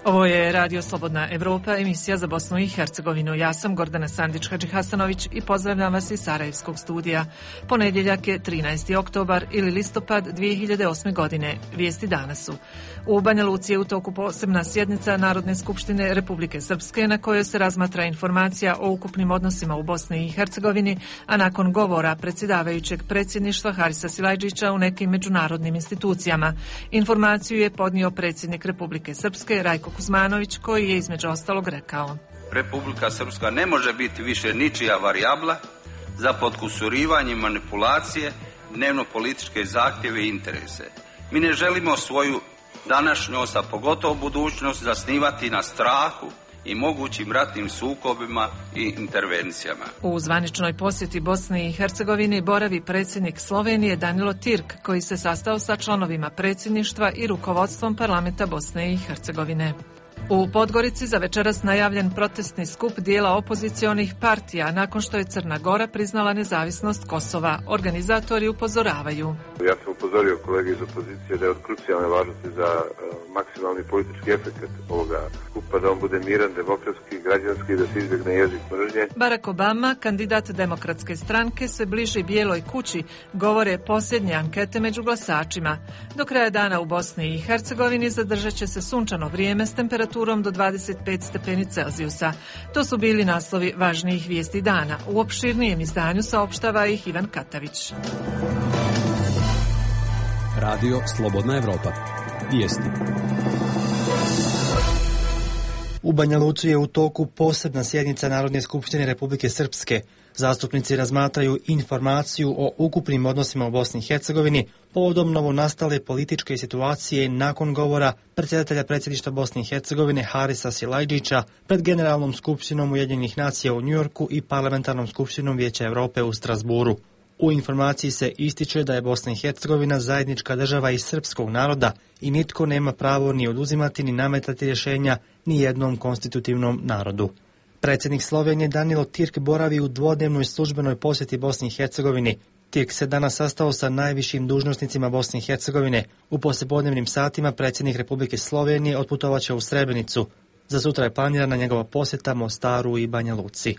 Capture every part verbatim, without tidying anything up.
Ovo je Radio Slobodna Evropa, emisija za Bosnu i Hercegovinu. Ja sam Gordana Sandić-Hadžihasanović i pozdravljam vas iz Sarajevskog studija. Ponedjeljak je trinaesti oktobar ili listopad dvije hiljade osme. godine. Vijesti danas su: u Banja Luci je u toku posebna sjednica Narodne skupštine Republike Srpske na kojoj se razmatra informacija o ukupnim odnosima u Bosni i Hercegovini, a nakon govora predsjedavajućeg predsjedništva Harisa Silajdžića u nekim međunarodnim institucijama. Informaciju je podnio predsjednik Republike Srpske Rajko Kuzmanović, koji je između ostalog rekao: Republika Srpska ne može biti više ničija varijabla za potkusurivanje i manipulacije, dnevno političke zahtjeve i interese. Mi ne želimo svoju današnjost, a pogotovo budućnost, zasnivati na strahu i mogućim ratnim sukobima i intervencijama. U zvaničnoj posjeti Bosni i Hercegovini boravi predsjednik Slovenije Danilo Tirk, koji se sastao sa članovima predsjedništva i rukovodstvom parlamenta Bosne i Hercegovine. U Podgorici za večeras najavljen protestni skup dijela opozicionih partija nakon što je Crna Gora priznala nezavisnost Kosova. Organizatori upozoravaju: Ja sam upozorio kolege iz opozicije da je od krucijalne važnosti za uh, maksimalni politički efekt ovoga skupa, da on bude miran, demokratski, građanski, da se izbjegne jezik mržnje. Barack Obama, kandidat Demokratske stranke, se bliži Bijeloj kući, govore posljednje ankete među glasačima. Do kraja dana u Bosni i Hercegovini zadržat će se sunčano vrijeme s temperaturom do dvadeset pet stepeni Celzijusa. To su bili naslovi važnijih vijesti dana. U opširnijem izdanju saopštava ih Ivan Katavić. Radio Slobodna Evropa. Vijesti. U Banja Luci je u toku posebna sjednica Narodne skupštine Republike Srpske. Zastupnici razmatraju informaciju o ukupnim odnosima u Bosni i Hercegovini povodom novonastale političke situacije nakon govora predsjedatelja predsjedništva Bosne i Hercegovine Harisa Silajdžića pred Generalnom skupštinom Ujedinjenih nacija u Njujorku i Parlamentarnom skupštinom Vijeća Europe u Strasburu. U informaciji se ističe da je Bosna i Hercegovina zajednička država i srpskog naroda i nitko nema pravo ni oduzimati ni nametati rješenja ni jednom konstitutivnom narodu. Predsjednik Slovenije Danilo Tirk boravi u dvodnevnoj službenoj posjeti Bosni i Hercegovini. Tirk se danas sastao sa najvišim dužnosnicima Bosne i Hercegovine. U poslijepodnevnim satima predsjednik Republike Slovenije otputovaće u Srebrenicu. Za sutra je planirana njegova posjeta Mostaru i Banja Luci.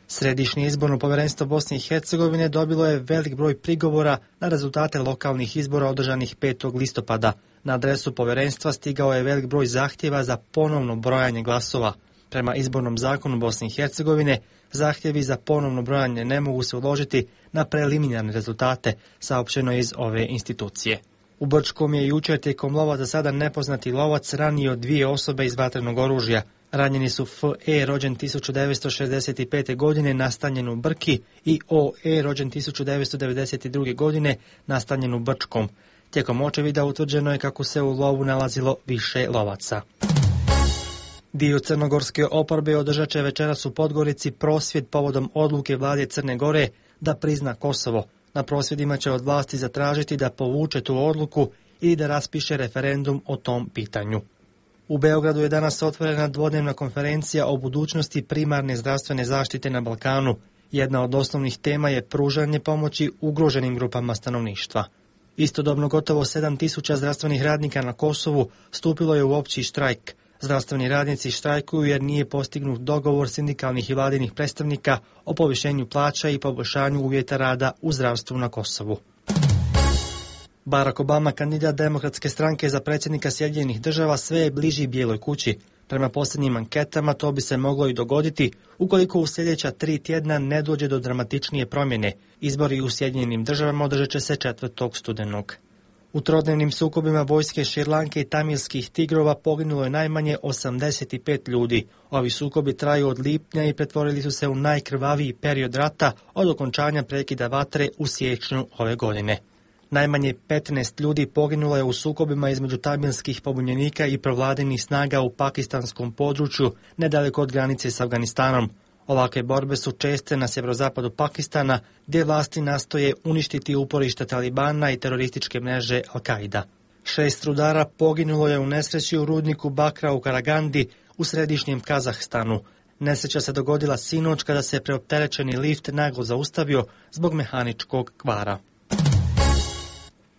Središnje izborno povjerenstvo Bosne i Hercegovine dobilo je velik broj prigovora na rezultate lokalnih izbora održanih petog listopada. Na adresu povjerenstva stigao je velik broj zahtjeva za ponovno brojanje glasova. Prema izbornom zakonu Bosne i Hercegovine, zahtjevi za ponovno brojanje ne mogu se uložiti na preliminarne rezultate, saopćeno iz ove institucije. U Brčkom je jučer tijekom lova za sada nepoznati lovac ranio dvije osobe iz vatrenog oružja. Ranjeni su F E rođen tisuću devetsto šezdeset pete. godine nastanjen u Brki i O E rođen tisuću devetsto devedeset druge. godine nastanjen u Brčkom. Tijekom očevida utvrđeno je kako se u lovu nalazilo više lovaca. Dio crnogorske oporbe održat će večeras u Podgorici prosvjed povodom odluke vlade Crne Gore da prizna Kosovo. Na prosvjedima će od vlasti zatražiti da povuče tu odluku i da raspiše referendum o tom pitanju. U Beogradu je danas otvorena dvodnevna konferencija o budućnosti primarne zdravstvene zaštite na Balkanu. Jedna od osnovnih tema je pružanje pomoći ugroženim grupama stanovništva. Istodobno gotovo sedam tisuća zdravstvenih radnika na Kosovu stupilo je u opći štrajk. Zdravstveni radnici štrajkuju jer nije postignut dogovor sindikalnih i vladinih predstavnika o povišenju plaća i poboljšanju uvjeta rada u zdravstvu na Kosovu. Barack Obama, kandidat Demokratske stranke za predsjednika Sjedinjenih država, sve je bliži Bijeloj kući. Prema posljednjim anketama to bi se moglo i dogoditi ukoliko u sljedeća tri tjedna ne dođe do dramatičnije promjene. Izbori u Sjedinjenim državama održat će se četvrtog studenog. U trodnevnim sukobima vojske Šrilanke i tamilskih tigrova poginulo je najmanje osamdeset pet ljudi. Ovi sukobi traju od lipnja i pretvorili su se u najkrvaviji period rata od okončanja prekida vatre u siječnju ove godine. Najmanje petnaest ljudi poginulo je u sukobima između tamilskih pobunjenika i provladinih snaga u pakistanskom području nedaleko od granice s Afganistanom. Ovakve borbe su česte na sjeverozapadu Pakistana, gdje vlasti nastoje uništiti uporišta Talibana i terorističke mreže Al-Qaida. Šest rudara poginulo je u nesreći u rudniku bakra u Karagandi u središnjem Kazahstanu. Nesreća se dogodila sinoć kada se preopterećeni lift naglo zaustavio zbog mehaničkog kvara.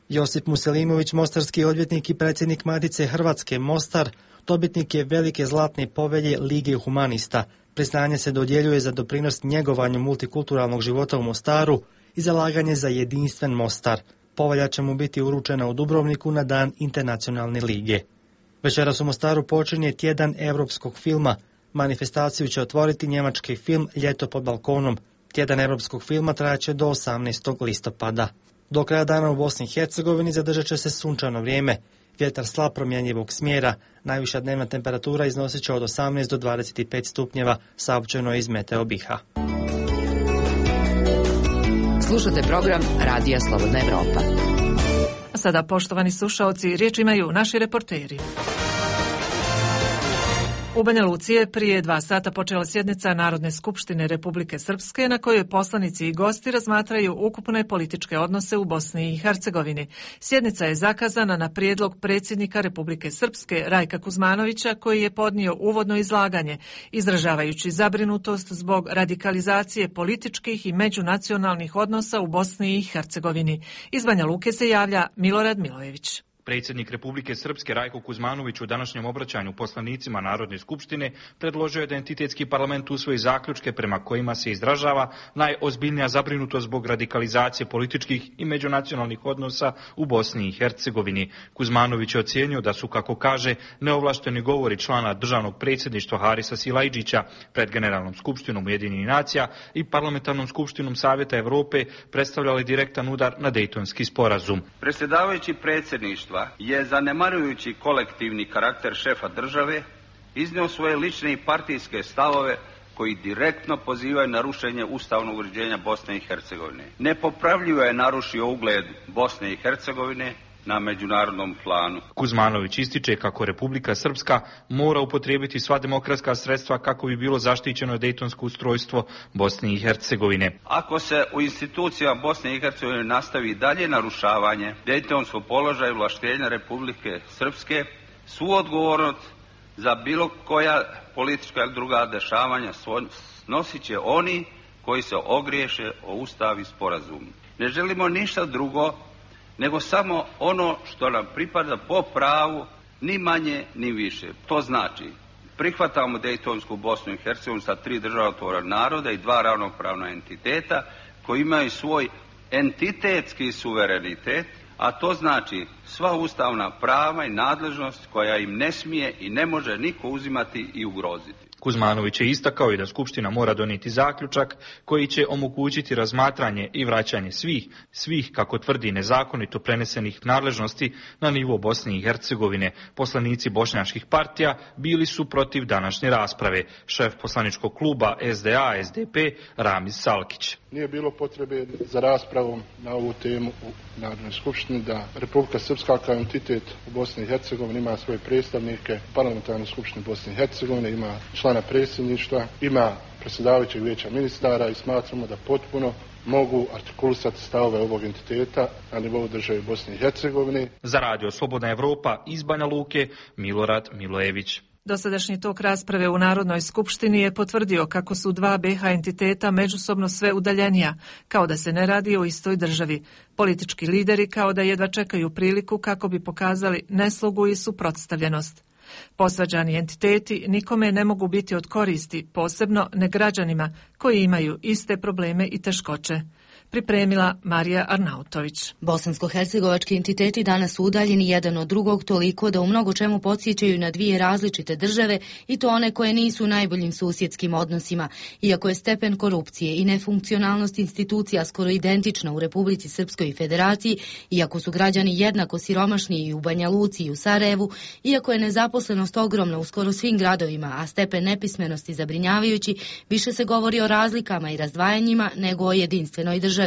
Josip Muselimović, mostarski odvjetnik i predsjednik Matice Hrvatske Mostar, Dobitnik je velike zlatne povelje Lige humanista. Priznanje se dodjeljuje za doprinos njegovanju multikulturalnog života u Mostaru i zalaganje za jedinstven Mostar. Povelja će mu biti uručena u Dubrovniku na dan Internacionalne lige. Večeras u Mostaru počinje tjedan europskog filma. Manifestaciju će otvoriti njemački film Ljeto pod balkonom. Tjedan europskog filma trajaće do osamnaestog listopada. Do kraja dana u Bosni i Hercegovini zadržat će se sunčano vrijeme. Vjetar slab promjenjivog smjera. Najviša dnevna temperatura iznosit će od osamnaest do dvadeset pet stupnjeva, saopćeno iz Meteo BiH-a. Slušate program Radija Slobodna Evropa. A sada, poštovani slušaoci, riječ imaju naši reporteri. U Banja Luci je prije dva sata počela sjednica Narodne skupštine Republike Srpske na kojoj poslanici i gosti razmatraju ukupne političke odnose u Bosni i Hercegovini. Sjednica je zakazana na prijedlog predsjednika Republike Srpske Rajka Kuzmanovića koji je podnio uvodno izlaganje, izražavajući zabrinutost zbog radikalizacije političkih i međunacionalnih odnosa u Bosni i Hercegovini. Iz Banja Luke se javlja Milorad Milojević. Predsjednik Republike Srpske Rajko Kuzmanović u današnjem obraćanju poslanicima Narodne skupštine predložio je da entitetski parlament usvoji zaključke prema kojima se izražava najozbiljnija zabrinutost zbog radikalizacije političkih i međunacionalnih odnosa u Bosni i Hercegovini. Kuzmanović je ocijenio da su, kako kaže, neovlašteni govori člana državnog predsjedništva Harisa Silajdžića pred Generalnom skupštinom Ujedinjenih nacija i Parlamentarnom skupštinom Savjeta Evrope predstavljali direktan udar na Dejtonski sporazum. Predsjedavajući predsjedništva je, zanemarujući kolektivni karakter šefa države, iznio svoje lične i partijske stavove koji direktno pozivaju na rušenje ustavnog uređenja Bosne i Hercegovine. Nepopravljivo je narušio ugled Bosne i Hercegovine na međunarodnom planu. Kuzmanović ističe kako Republika Srpska mora upotrijebiti sva demokratska sredstva kako bi bilo zaštićeno dejtonsko ustrojstvo Bosne i Hercegovine. Ako se u institucijama Bosne i Hercegovine nastavi dalje narušavanje dejtonskog položaja i ovlaštenja Republike Srpske, svu odgovornost za bilo koja politička ili druga dešavanja snosit će oni koji se ogriješe o Ustav i sporazum. Ne želimo ništa drugo nego samo ono što nam pripada po pravu, ni manje ni više. To znači, prihvatamo Dejtonsku Bosnu i Hercegovinu sa tri državotvorna naroda i dva ravnopravna entiteta koji imaju svoj entitetski suverenitet, a to znači sva ustavna prava i nadležnost koja im ne smije i ne može niko uzimati i ugroziti. Kuzmanović je istakao i da Skupština mora donijeti zaključak koji će omogućiti razmatranje i vraćanje svih, svih kako tvrdi nezakonito prenesenih nadležnosti na nivo Bosne i Hercegovine. Poslanici bošnjačkih partija bili su protiv današnje rasprave. Šef poslaničkog kluba S D A S D P Ramiz Salkić. Nije bilo potrebe za raspravom na ovu temu u Narodnoj skupštini da Republika Srpska kao entitet u Bosni i Hercegovini ima svoje predstavnike, Parlamentarne skupštine Bosne i Hercegovine, ima člana predsjedništva, ima predsjedavajućeg vijeća ministara i smatramo da potpuno mogu artikulisati stavove ovog entiteta na nivou države Bosne i Hercegovine. Za Radio Slobodna Evropa iz Banja Luke, Milorad Milojević. Dosadašnji tok rasprave u Narodnoj skupštini je potvrdio kako su dva B iH entiteta međusobno sve udaljenija, kao da se ne radi o istoj državi. Politički lideri kao da jedva čekaju priliku kako bi pokazali neslogu i suprotstavljenost. Posvađani entiteti nikome ne mogu biti od koristi, posebno ne građanima koji imaju iste probleme i teškoće. Pripremila Marija Arnautović. Bosansko-hercegovački entiteti danas su udaljeni jedan od drugog toliko da u mnogo čemu podsjećaju na dvije različite države i to one koje nisu u najboljim susjedskim odnosima. Iako je stepen korupcije i nefunkcionalnost institucija skoro identična u Republici Srpskoj i Federaciji, iako su građani jednako siromašni i u Banja Luci i u Sarajevu, iako je nezaposlenost ogromna u skoro svim gradovima, a stepen nepismenosti zabrinjavajući, više se govori o razlikama i razdvajanjima nego o jedinstvenoj državi.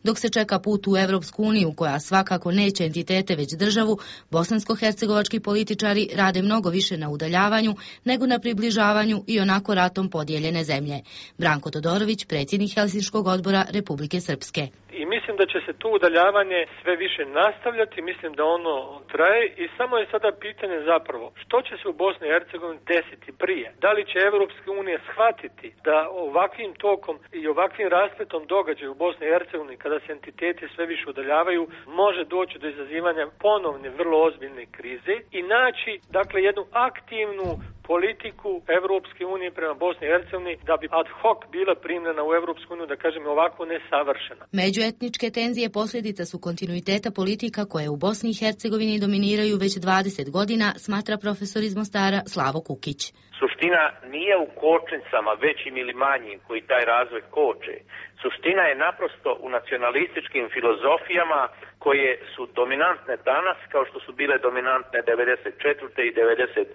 Dok se čeka put u Evropsku uniju, koja svakako neće entitete već državu, bosansko-hercegovački političari rade mnogo više na udaljavanju nego na približavanju i onako ratom podijeljene zemlje. Branko Todorović, predsjednik Helsinškog odbora Republike Srpske. I mi Mislim da će se to udaljavanje sve više nastavljati, mislim da ono traje i samo je sada pitanje zapravo što će se u Bosni i Hercegovini desiti prije. Da li će Evropska unija shvatiti da ovakvim tokom i ovakvim raspletom događaja u Bosni i Hercegovini kada se entiteti sve više udaljavaju može doći do izazivanja ponovne vrlo ozbiljne krize i naći dakle jednu aktivnu politiku Evropske unije prema Bosni i Hercegovini da bi ad hoc bila primljena u Evropsku uniju, da kažem ovako nesavršena. Međuetničke tenzije posljedica su kontinuiteta politika koje u Bosni i Hercegovini dominiraju već dvadeset godina, smatra profesor iz Mostara Slavo Kukić. Suština nije u kočnicama većim ili manjim koji taj razvoj koče. Suština je naprosto u nacionalističkim filozofijama koje su dominantne danas kao što su bile dominantne devedeset četvrte i devedeset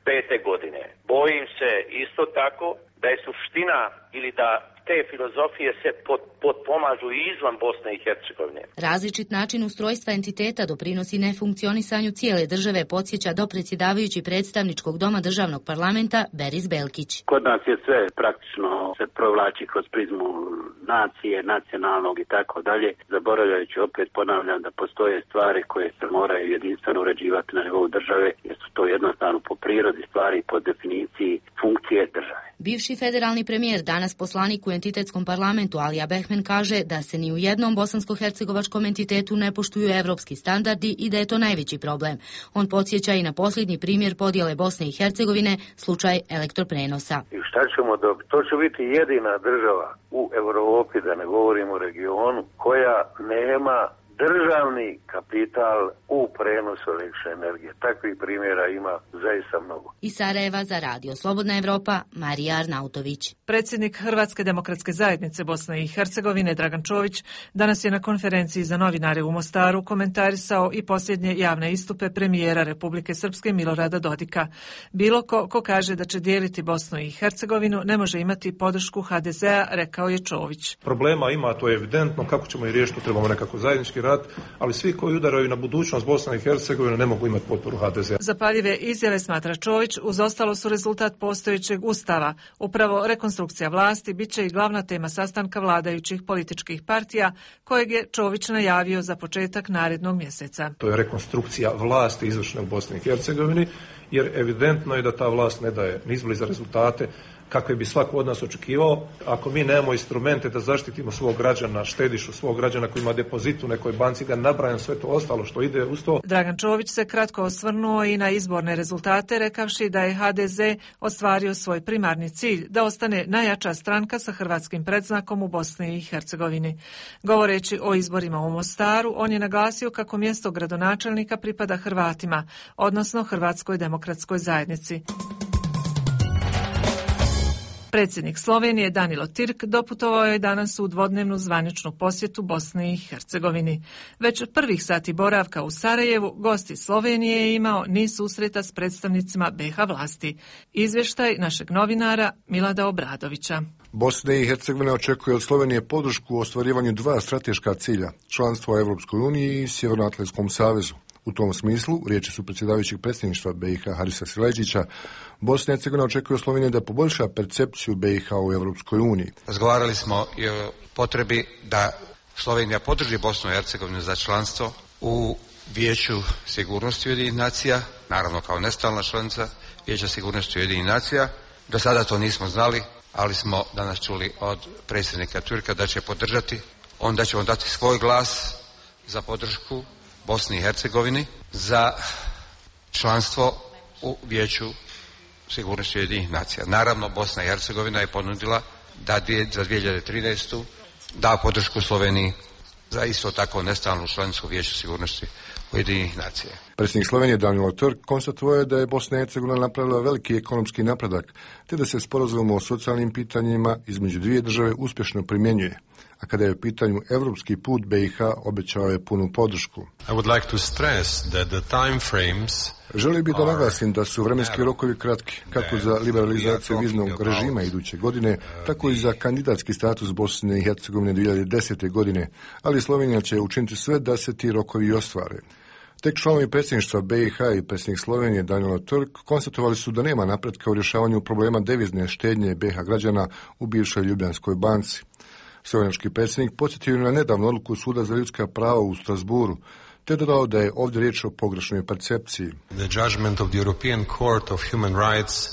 pete godine. Bojim se isto tako da je suština ili da te filozofije se pod, podpomažu i izvan Bosne i Hercegovine. Različit način ustrojstva entiteta doprinosi nefunkcionisanju cijele države, podsjeća dopredsjedavajući predstavničkog doma državnog parlamenta Beris Belkić. Kod nas je sve praktično se provlači kroz prizmu nacije, nacionalnog i tako dalje, zaboravljajući opet ponavljam da postoje stvari koje se moraju jedinstveno uređivati na nivou države, jer su to jednostavno po prirodi stvari i po definiciji funkcije države. Bivši federalni premijer, danas poslanik u entitetskom parlamentu Alija Behmen kaže da se ni u jednom bosansko-hercegovačkom entitetu ne poštuju evropski standardi i da je to najveći problem. On podsjeća i na posljednji primjer podjele Bosne i Hercegovine, slučaj elektroprenosa. I šta ćemo dobiti? To će biti jedina država u Evropi, da ne govorimo o regionu, koja nema državni kapital u prenosu električne energije. Takvih primjera ima zaista mnogo. Iz Sarajeva za Radio Slobodna Evropa, Marija Arnautović. Predsjednik Hrvatske demokratske zajednice Bosne i Hercegovine Dragan Čović danas je na konferenciji za novinare u Mostaru komentarisao i posljednje javne istupe premijera Republike Srpske Milorada Dodika. Bilo ko ko kaže da će dijeliti Bosnu i Hercegovinu ne može imati podršku ha de zea, rekao je Čović. Problema ima, to je evidentno, kako ćemo i riješiti, trebamo nekako zajednički rad, ali svi koji udaraju na budućnost Bosne i Hercegovine ne mogu imati potporu ha de zea. Zapaljive izjave, smatra Čović, uz ostalo su rezultat postojećeg ustava. Upravo rekonstrukcija vlasti bit će i glavna tema sastanka vladajućih političkih partija, kojeg je Čović najavio za početak narednog mjeseca. To je rekonstrukcija vlasti izvršne u Bosni i Hercegovini, jer evidentno je da ta vlast ne daje ni izbliza rezultate kakve bi svako od nas očekivao. Ako mi nemamo instrumente da zaštitimo svog građana, štedišu svog građana koji ima depozit u nekoj banci, da nabrajam sve to ostalo što ide uz to. Dragan Čović se kratko osvrnuo i na izborne rezultate, rekavši da je ha de ze ostvario svoj primarni cilj, da ostane najjača stranka sa hrvatskim predznakom u Bosni i Hercegovini. Govoreći o izborima u Mostaru, on je naglasio kako mjesto gradonačelnika pripada Hrvatima, odnosno Hrvatskoj demokratskoj zajednici. Predsjednik Slovenije Danilo Tirk doputovao je danas u dvodnevnu zvaničnu posjetu Bosni i Hercegovini. Već prvih sati boravka u Sarajevu gosti Slovenije je imao niz susreta s predstavnicima be ha vlasti. Izvještaj našeg novinara Milada Obradovića. Bosna i Hercegovina očekuje od Slovenije podršku u ostvarivanju dva strateška cilja, članstvo u Evropskoj uniji i Sjevernoatlantskom savezu. U tom smislu, riječi su predsjedavajućeg predsjedništva be i ha Harisa Sileđića, Bosna i Hercegovina očekuje od Slovenije da poboljša percepciju be i ha u Evropskoj uniji. Razgovarali smo i o potrebi da Slovenija podrži Bosnu i Hercegovinu za članstvo u Vijeću sigurnosti Ujedinjenih nacija, naravno kao nestalna članica Vijeća sigurnosti Ujedinjenih nacija. Do sada to nismo znali, ali smo danas čuli od predsjednika Turka da će podržati, onda ćemo dati svoj glas za podršku Bosni i Hercegovini za članstvo u Vijeću sigurnosti Ujedinjenih nacija. Naravno, Bosna i Hercegovina je ponudila da za dvije hiljade trinaestu da podršku Sloveniji za isto tako nestalnu članicu Vijeća sigurnosti Ujedinjenih nacija. Predsjednik Slovenije Danilo Turk konstatovao je da je Bosna i Hercegovina napravila veliki ekonomski napredak, te da se sporazum o socijalnim pitanjima između dvije države uspješno primjenjuje. A kada je u pitanju evropski put, be i ha obećao je punu podršku. I would like to stress that the time frames Želio bih da naglasim da su vremenski rokovi kratki, kako za liberalizaciju viznog režima iduće godine, tako i za kandidatski status Bosne i Hercegovine dvije hiljade desete. godine, ali Slovenija će učiniti sve da se ti rokovi ostvare. Tek članovi predsjedništva be i ha i predsjednik Slovenije Danilo Turk konstatovali su da nema napretka u rješavanju problema devizne štednje be i ha građana u bivšoj Ljubljanskoj banci. Slovenački predsjednik podsjetio na nedavnu odluku Suda za ljudska prava u Strasburu, te dodao da je ovdje riječ o pogrešnoj percepciji.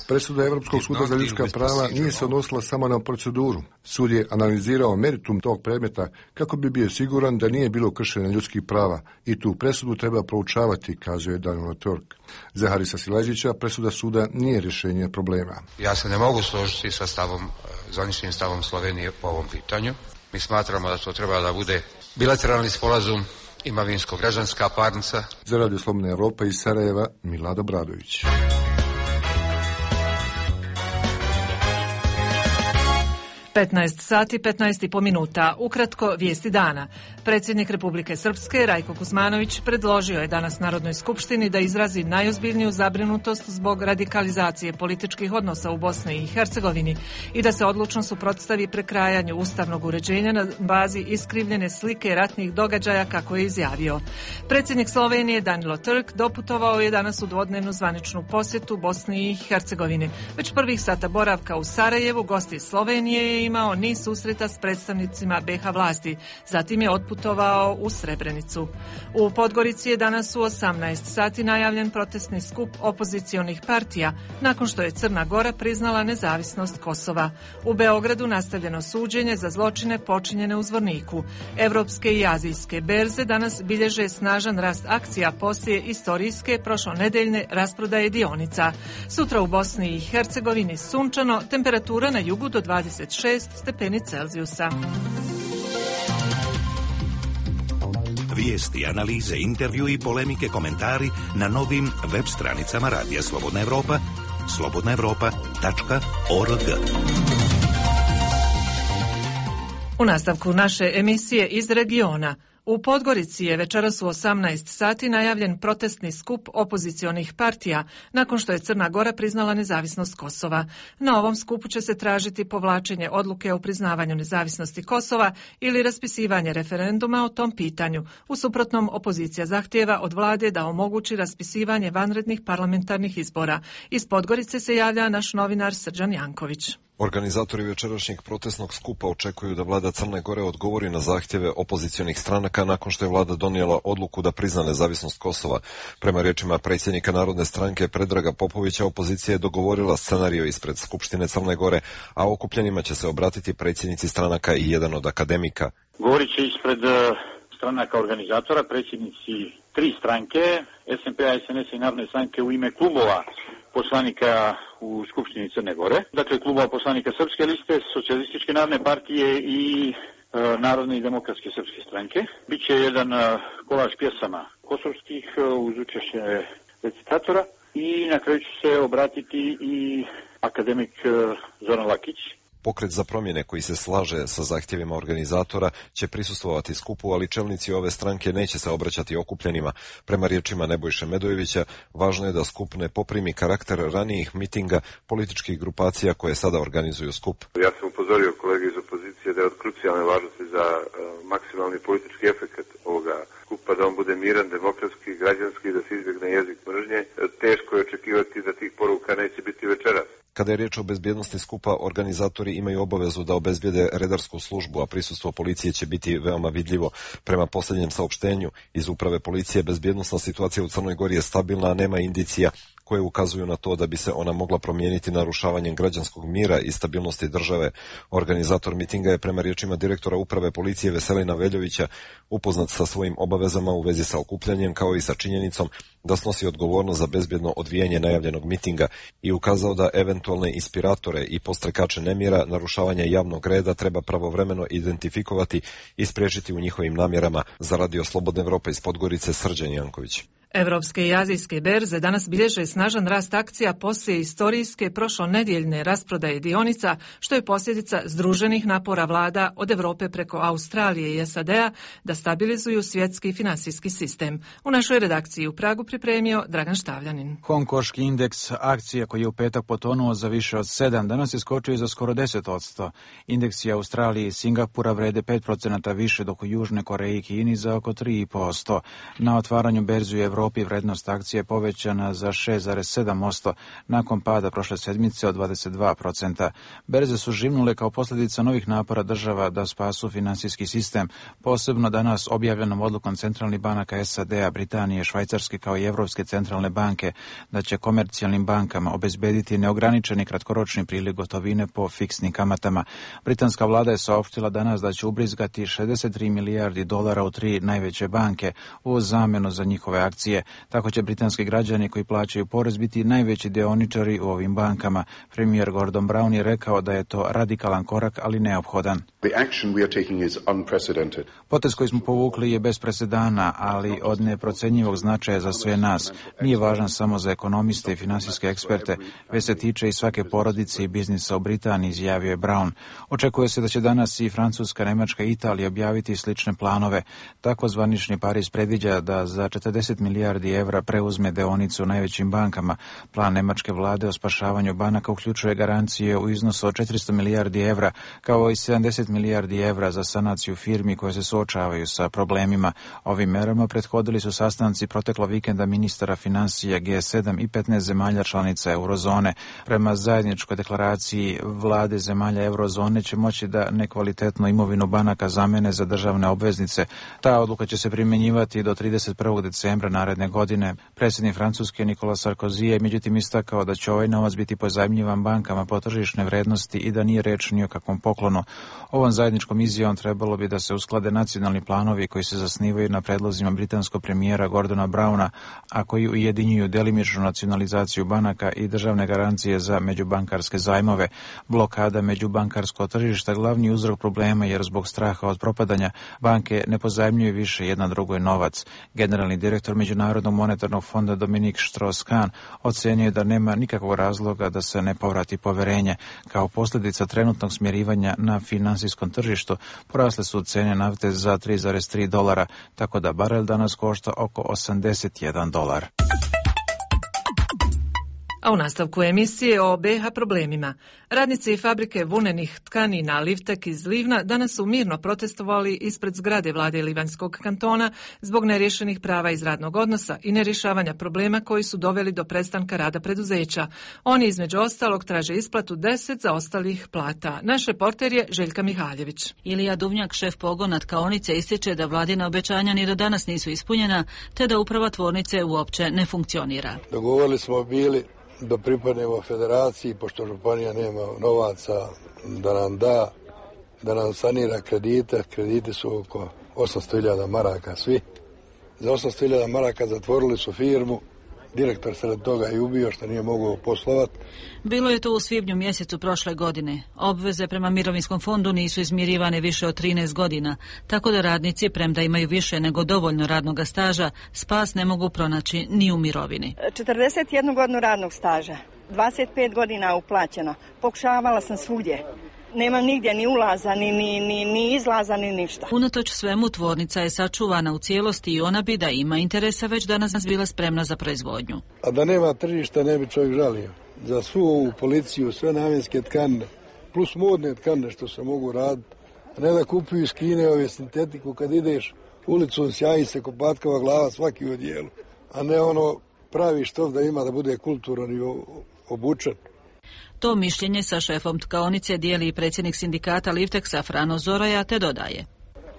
Presuda Europskog suda za ljudska prava nije se odnosila samo na proceduru. Sud je analizirao meritum tog predmeta kako bi bio siguran da nije bilo kršenja ljudskih prava i tu presudu treba proučavati, kazuje Daniel Turk. Za Harisa Silađića presuda suda nije rješenje problema. Ja se ne mogu složiti sa stavom, zvaničnim stavom Slovenije po ovom pitanju. Mi smatramo da to treba da bude bilateralni sporazum, imovinsko-građanska parnica. Za Radio Slobodna Evropa iz Sarajeva, Milada Bradović. petnaest sati, petnaest i po minuta. Ukratko, vijesti dana. Predsjednik Republike Srpske, Rajko Kuzmanović, predložio je danas Narodnoj skupštini da izrazi najozbiljniju zabrinutost zbog radikalizacije političkih odnosa u Bosni i Hercegovini i da se odlučno suprotstavi prekrajanju ustavnog uređenja na bazi iskrivljene slike ratnih događaja, kako je izjavio. Predsjednik Slovenije, Danilo Turk, doputovao je danas u dvodnevnu zvaničnu posjetu Bosni i Hercegovini. Već prvih sata boravka u Sarajevu gost iz Slovenije je imao niz susreta s predstavnicima be ha vlasti. Zatim je otputovao u Srebrenicu. U Podgorici je danas u osamnaest sati najavljen protestni skup opozicionih partija nakon što je Crna Gora priznala nezavisnost Kosova. U Beogradu nastavljeno suđenje za zločine počinjene u Zvorniku. Evropske i azijske berze danas bilježe snažan rast akcija poslije istorijske prošlonedeljne rasprodaje dionica. Sutra u Bosni i Hercegovini sunčano, temperatura na jugu do dvadeset šest stepeni Celzijusa. Vijesti, analize, intervju i polemike, komentari na novim web stranicama Radija Slobodna Evropa, slobodna evropa tačka org. U nastavku naše emisije iz regiona. U Podgorici je večeras u osamnaest sati najavljen protestni skup opozicionih partija nakon što je Crna Gora priznala nezavisnost Kosova. Na ovom skupu će se tražiti povlačenje odluke o priznavanju nezavisnosti Kosova ili raspisivanje referenduma o tom pitanju. U suprotnom, opozicija zahtijeva od vlade da omogući raspisivanje vanrednih parlamentarnih izbora. Iz Podgorice se javlja naš novinar Srđan Janković. Organizatori večerašnjeg protestnog skupa očekuju da vlada Crne Gore odgovori na zahtjeve opozicionih stranaka nakon što je vlada donijela odluku da prizna nezavisnost Kosova. Prema riječima predsjednika Narodne stranke Predraga Popovića, opozicija je dogovorila scenario ispred Skupštine Crne Gore, a okupljenima će se obratiti predsjednici stranaka i jedan od akademika. Govorit će ispred stranaka organizatora, predsjednici tri stranke, es en pe a, es en es i Narodne stranke u ime klubova poslanika u Skupštini Crne Gore, dakle klubova poslanika Srpske liste, Socijalističke narodne partije i e, Narodne i demokratske srpske stranke. Biće jedan e, kolaž pjesama kosovskih e, uz učešće recitatora i na kraju će se obratiti i akademik e, Zoran Lakić. Pokret za promjene koji se slaže sa zahtjevima organizatora će prisustvovati skupu, ali čelnici ove stranke neće se obraćati okupljenima. Prema riječima Nebojše Medojevića, važno je da skup ne poprimi karakter ranijih mitinga političkih grupacija koje sada organizuju skup. Ja sam upozorio kolege iz opozicije da je od krucijalne važnosti za uh, maksimalni politički efekt ovoga skupa, da on bude miran, demokratski, građanski, da se izbjegne jezik mržnje. Teško je očekivati da tih poruka neće biti večeras. Kada je riječ o bezbjednosti skupa, organizatori imaju obavezu da obezbijede redarsku službu, a prisustvo policije će biti veoma vidljivo. Prema posljednjem saopštenju iz uprave policije, bezbjednosna situacija u Crnoj Gori je stabilna, a nema indicija koje ukazuju na to da bi se ona mogla promijeniti narušavanjem građanskog mira i stabilnosti države. Organizator mitinga je prema riječima direktora uprave policije Veselina Veljovića upoznat sa svojim obavezama u vezi sa okupljanjem, kao i sa činjenicom da snosi odgovornost za bezbjedno odvijanje najavljenog mitinga i ukazao da eventualne inspiratore i postrekače nemira, narušavanja javnog reda treba pravovremeno identifikovati i spriječiti u njihovim namjerama. Za Radio Slobodna Evropa iz Podgorice, Srđan Janković. Evropske i azijske berze danas bilježe snažan rast akcija poslije istorijske prošlonedjeljne rasprodaje dionica, što je posljedica združenih napora vlada od Europe preko Australije i es a de a da stabilizuju svjetski finansijski sistem. U našoj redakciji u Pragu pripremio Dragan Štavljanin. Hongkonški indeks akcija koji je u petak potonuo za više od sedam, danas je skočio za skoro deset posto. Indeksi Australije i Singapura vrede pet procenata više, dok u Južnoj Koreji i Kini za oko tri posto. Na otvaranju berzi u Evropi Europi vrednost akcije povećana za šest zarez sedam posto nakon pada prošle sedmice od dvadeset dva procenta. Berze su živnule kao posljedica novih napora država da spasu finansijski sistem, posebno danas objavljenom odlukom centralnih banaka S A D-a, Britanije, Švajcarske kao i Evropske centralne banke da će komercijalnim bankama obezbediti neograničeni kratkoročni priliv gotovine po fiksnim kamatama. Britanska vlada je saopštila danas da će ubrizgati šezdeset tri milijardi dolara u tri najveće banke u zamenu za njihove akcije. Tako će britanski građani koji plaćaju porez biti najveći dioničari u ovim bankama. Premijer Gordon Brown je rekao da je to radikalan korak, ali neophodan. Potez koji smo povukli je bez presedana, ali od neprocenjivog značaja za sve nas. Nije važan samo za ekonomiste i finansijske eksperte, već se tiče i svake porodice i biznisa u Britaniji, izjavio je Brown. Očekuje se da će danas i Francuska, Nemačka i Italija objaviti slične planove. Tako zvanični Pariz predviđa da za četrdeset milijardi evra preuzme deonicu u najvećim bankama. Plan nemačke vlade o spašavanju banaka uključuje garancije u iznosu od četiristo milijardi evra, kao i sedamdeset milijardi evra za sanaciju firmi koje se suočavaju sa problemima. Ovim merama prethodili su sastanci proteklo vikenda ministara financija G sedam i petnaest zemalja članica eurozone. Prema zajedničkoj deklaraciji vlade zemalja eurozone će moći da nekvalitetnu imovinu banaka zamene za državne obveznice. Ta odluka će se primjenjivati do trideset prvog decembra naredne godine. Predsjednik Francuske Nicolas Sarkozy je međutim istakao da će ovaj novac biti pozajmljivan bankama po tržišne vrednosti i da nije reč ni o kakvom poklonu. Ovom zajedničkom izjavom trebalo bi da se usklade nacionalni planovi koji se zasnivaju na predlozima britanskog premijera Gordona Browna, a koji ujedinjuju delimičnu nacionalizaciju banaka i državne garancije za međubankarske zajmove. Blokada međubankarskog tržišta glavni uzrok problema jer zbog straha od propadanja banke ne pozajmljuju više jedna drugoj novac. Generalni direktor Međunarodnog monetarnog fonda Dominik Strauss-Kahn ocenio da nema nikakvog razloga da se ne povrati poverenje. Kao posljedica trenutnog smjerivanja na finansijskom tržištu porasle su cene nafte za tri zarez tri dolara, tako da barel danas košta oko osamdeset jedan dolar. A u nastavku emisije o B iH problemima. Radnici fabrike vunenih tkanina Livtek iz Livna danas su mirno protestovali ispred zgrade vlade Livanjskog kantona zbog neriješenih prava iz radnog odnosa i nerješavanja problema koji su doveli do prestanka rada preduzeća. Oni između ostalog traže isplatu deset zaostalih plata. Naš reporter je Željka Mihaljević. Ilija Duvnjak, šef pogona tkaonice, ističe da vladina obećanja ni do danas nisu ispunjena, te da uprava tvornice uopće ne funkcionira. Dogovorili smo bili da pripadnemo federaciji, pošto županija nema novaca da nam da, da nam sanira kredite. Krediti su oko osamsto hiljada maraka svi. Za osamsto hiljada maraka zatvorili su firmu. Direktor se od toga i ubio što nije mogao poslovati. Bilo je to u svibnju mjesecu prošle godine. Obveze prema mirovinskom fondu nisu izmirivane više od trinaest godina, tako da radnici, premda imaju više nego dovoljno radnog staža, spas ne mogu pronaći ni u mirovini. četrdeset jednu godinu radnog staža, dvadeset pet godina uplaćeno. Pokušavala sam svugdje. Nema nigdje ni ulaza, ni, ni, ni, ni izlaza, ni ništa. Unatoč svemu, tvornica je sačuvana u cijelosti i ona bi da ima interesa već danas bila spremna za proizvodnju. A da nema tržišta ne bi čovjek žalio. Za svu ovu policiju, sve namjenske tkane, plus modne tkane što se mogu raditi, a ne da kupuju iz Kine ove sintetiku kad ideš ulicom, sjaji se kopatkava glava svaki u odijelu, a ne ono pravi štof da ima da bude kulturan i obučen. To mišljenje sa šefom tkaonice dijeli i predsjednik sindikata Livteksa Frano Zoroja, te dodaje.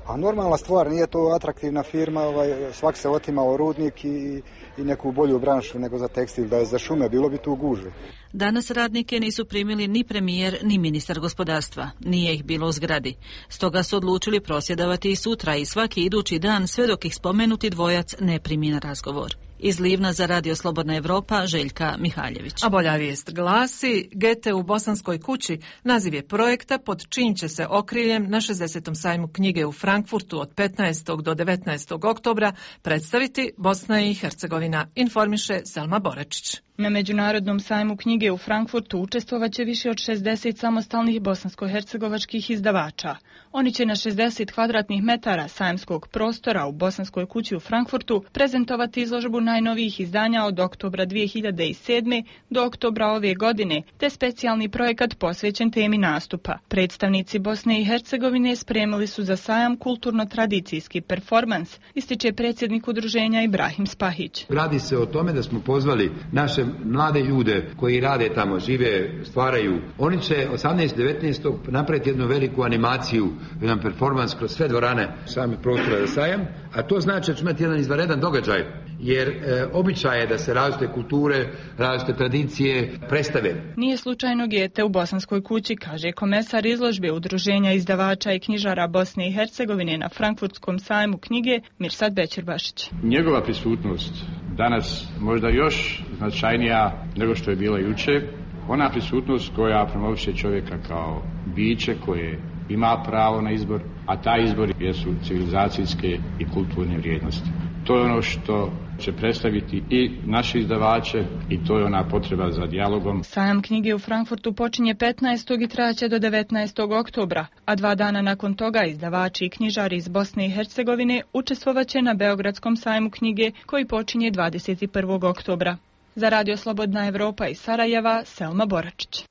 A normalna stvar, nije to atraktivna firma, ovaj, svak se otimao rudnik i, i neku bolju branšu nego za tekstil, da je za šume, bilo bi tu gužve. Danas radnike nisu primili ni premijer, ni ministar gospodarstva. Nije ih bilo u zgradi. Stoga su odlučili prosvjedovati i sutra i svaki idući dan sve dok ih spomenuti dvojac ne primi na razgovor. Iz Livna za Radio Slobodna Evropa, Željka Mihaljević. A bolja vijest glasi, Gete u Bosanskoj kući naziv je projekta pod čijim će se okriljem na šezdesetom sajmu knjige u Frankfurtu od petnaestog do devetnaestog oktobra predstaviti Bosna i Hercegovina, informiše Selma Borečić. Na Međunarodnom sajmu knjige u Frankfurtu učestvovaće više od šezdeset samostalnih bosansko-hercegovačkih izdavača. Oni će na šezdeset kvadratnih metara sajmskog prostora u Bosanskoj kući u Frankfurtu prezentovati izložbu najnovijih izdanja od oktobra dvije hiljade sedme. do oktobra ove godine, te specijalni projekat posvećen temi nastupa. Predstavnici Bosne i Hercegovine spremili su za sajam kulturno-tradicijski performans, ističe predsjednik udruženja Ibrahim Spahić. Radi se o tome da smo pozvali naše mlade ljude koji rade tamo, žive, stvaraju. Oni će osamnaestog devetnaestog napraviti jednu veliku animaciju, jedan performans kroz sve dvorane same prostora za sajam, a to znači da će imati jedan izvanredan događaj, jer e, običaj je da se različite kulture, različite tradicije predstave. Nije slučajno gete u Bosanskoj kući, kaže komesar izložbe Udruženja izdavača i knjižara Bosne i Hercegovine na Frankfurtskom sajmu knjige Mirsad Bećirbašić. Njegova prisutnost danas možda još značajnija nego što je bila jučer. Ona prisutnost koja promoviše čovjeka kao biće koje ima pravo na izbor, a taj izbor jesu civilizacijske i kulturne vrijednosti. To je ono što će predstaviti i naši izdavače i to je ona potreba za dijalogom. Sajam knjige u Frankfurtu počinje petnaestog i trajaće do devetnaestog oktobra, a dva dana nakon toga izdavači i knjižari iz Bosne i Hercegovine učestvovaće na Beogradskom sajmu knjige koji počinje dvadeset prvog oktobra. Za Radio Slobodna Evropa iz Sarajeva, Selma Boračić.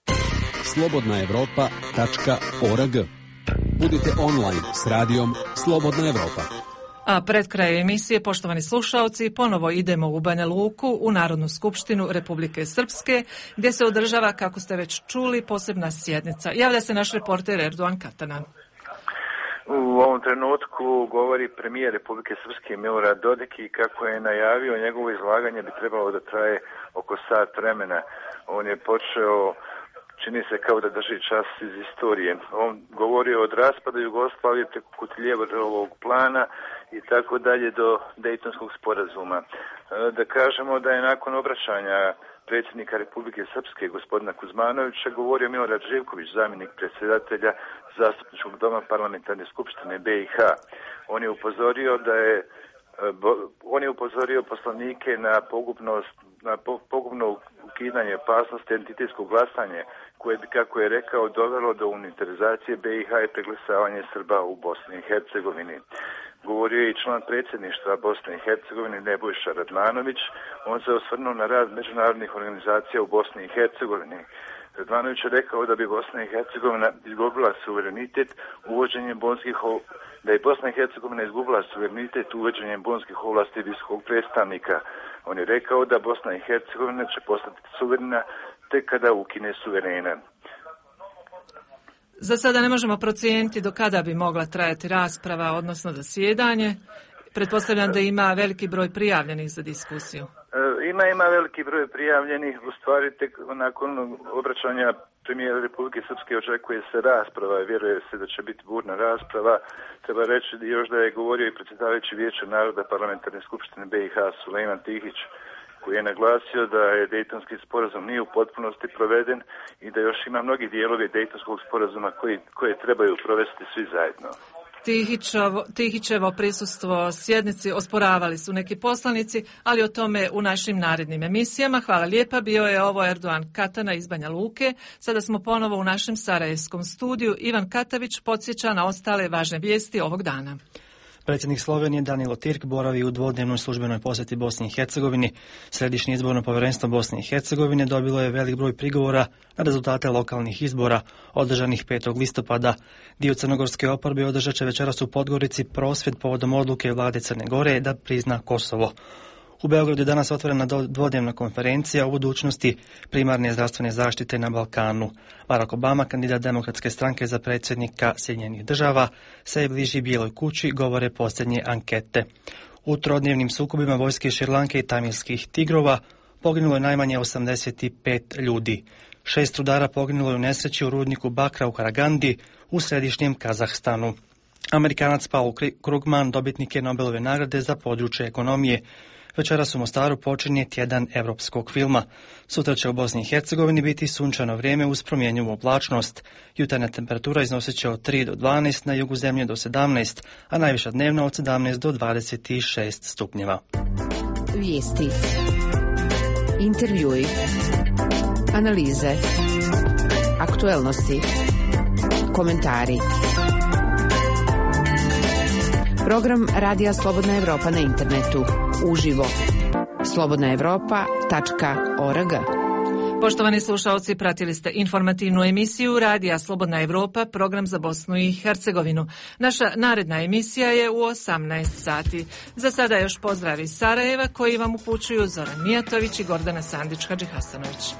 slobodna evropa tačka org. Budite online s radijom Slobodna Evropa. A pred kraj emisije, poštovani slušaoci, ponovo idemo u Banja Luku, u Narodnu skupštinu Republike Srpske, gdje se održava, kako ste već čuli, posebna sjednica. Javlja se naš reporter Erdogan Katanan. U ovom trenutku govori premijer Republike Srpske Milorad Dodik i kako je najavio, njegovo izlaganje bi trebalo da traje oko sat vremena. On je počeo, čini se kao da drži čas iz istorije. On govorio od raspada Jugoslavije preko Kutiljerovog plana i tako dalje do Dejtonskog sporazuma. Da kažemo da je nakon obraćanja predsjednika Republike Srpske, gospodina Kuzmanovića, govorio Milorad Živković, zamjenik predsjedatelja Zastupničkog doma Parlamentarne skupštine B i H. On je upozorio da je on je upozorio poslanike na pogubnost, na pogubno ukidanje opasnosti entitetskog glasanja, koje bi, kako je rekao, dovelo do unitarizacije B i H i preglesavanje Srba u Bosni i Hercegovini. Govorio je i član predsjedništva Bosne i Hercegovine Nebojša Radmanović. On se osvrnuo na rad međunarodnih organizacija u Bosni i Hercegovini. Radmanović je rekao da bi Bosna i Hercegovina izgubila suverenitet uvođenjem bonskih da je Bosna i Hercegovina izgubila suverenitet uvođenjem bonskih ovlasti visokog predstavnika. On je rekao da Bosna i Hercegovina će postati suverena tek kada ukine suverena. Za sada ne možemo procijeniti do kada bi mogla trajati rasprava, odnosno zasjedanje. Pretpostavljam da ima veliki broj prijavljenih za diskusiju. Ima, ima veliki broj prijavljenih. U stvari, tek nakon obraćanja premijera Republike Srpske očekuje se rasprava. Vjeruje se da će biti burna rasprava. Treba reći još da je govorio i predsjedavajući Vijeća naroda Parlamentarne skupštine B i H Sulejman Tihić, koji je naglasio da je Dejtonski sporazum nije u potpunosti proveden i da još ima mnogi dijelovi Dejtonskog sporazuma koji, koje trebaju provesti svi zajedno. Tihićevo, Tihićevo prisustvo sjednici osporavali su neki poslanici, ali o tome u našim narednim emisijama. Hvala lijepa, bio je ovo Erdogan Katana iz Banja Luke. Sada smo ponovo u našem sarajevskom studiju. Ivan Katavić podsjeća na ostale važne vijesti ovog dana. Predsjednik Slovenije Danilo Tirk boravi u dvodnevnoj službenoj posjeti Bosni i Hercegovini. Središnje izborno povjerenstvo Bosne i Hercegovine dobilo je velik broj prigovora na rezultate lokalnih izbora održanih petog listopada. Dio crnogorske oporbe održat će večeras u Podgorici prosvjed povodom odluke vlade Crne Gore da prizna Kosovo. U Beogradu je danas otvorena dvodnevna konferencija o budućnosti primarne zdravstvene zaštite na Balkanu. Barack Obama, kandidat Demokratske stranke za predsjednika Sjedinjenih država, se bliži Bijeloj kući, govore posljednje ankete. U trodnevnim sukobima vojske Šrilanke i tamilskih tigrova poginulo je najmanje osamdeset pet ljudi. Šest rudara poginulo je u nesreći u rudniku bakra u Karagandi u središnjem Kazahstanu. Amerikanac Paul Krugman dobitnik je Nobelove nagrade za područje ekonomije. Večeras u Mostaru počinje tjedan europskog filma. Sutra će u Bosni i Hercegovini biti sunčano vrijeme uz promjenjivu oblačnost. Jutarnja temperatura iznosit će od tri do dvanaest, na jugu zemlje do sedamnaest, a najviša dnevna od sedamnaest do dvadeset šest stupnjeva. Vijesti. Intervjui, analize, aktuelnosti, komentari. Program Radija Slobodna Evropa na internetu, uživo. slobodna evropa tačka org. Poštovani slušalci, pratili ste informativnu emisiju Radija Slobodna Evropa, program za Bosnu i Hercegovinu. Naša naredna emisija je u osamnaest sati. Za sada još pozdrav iz Sarajeva koji vam upućuju Zoran Mijatović i Gordana Sandić-Hadžihasanović.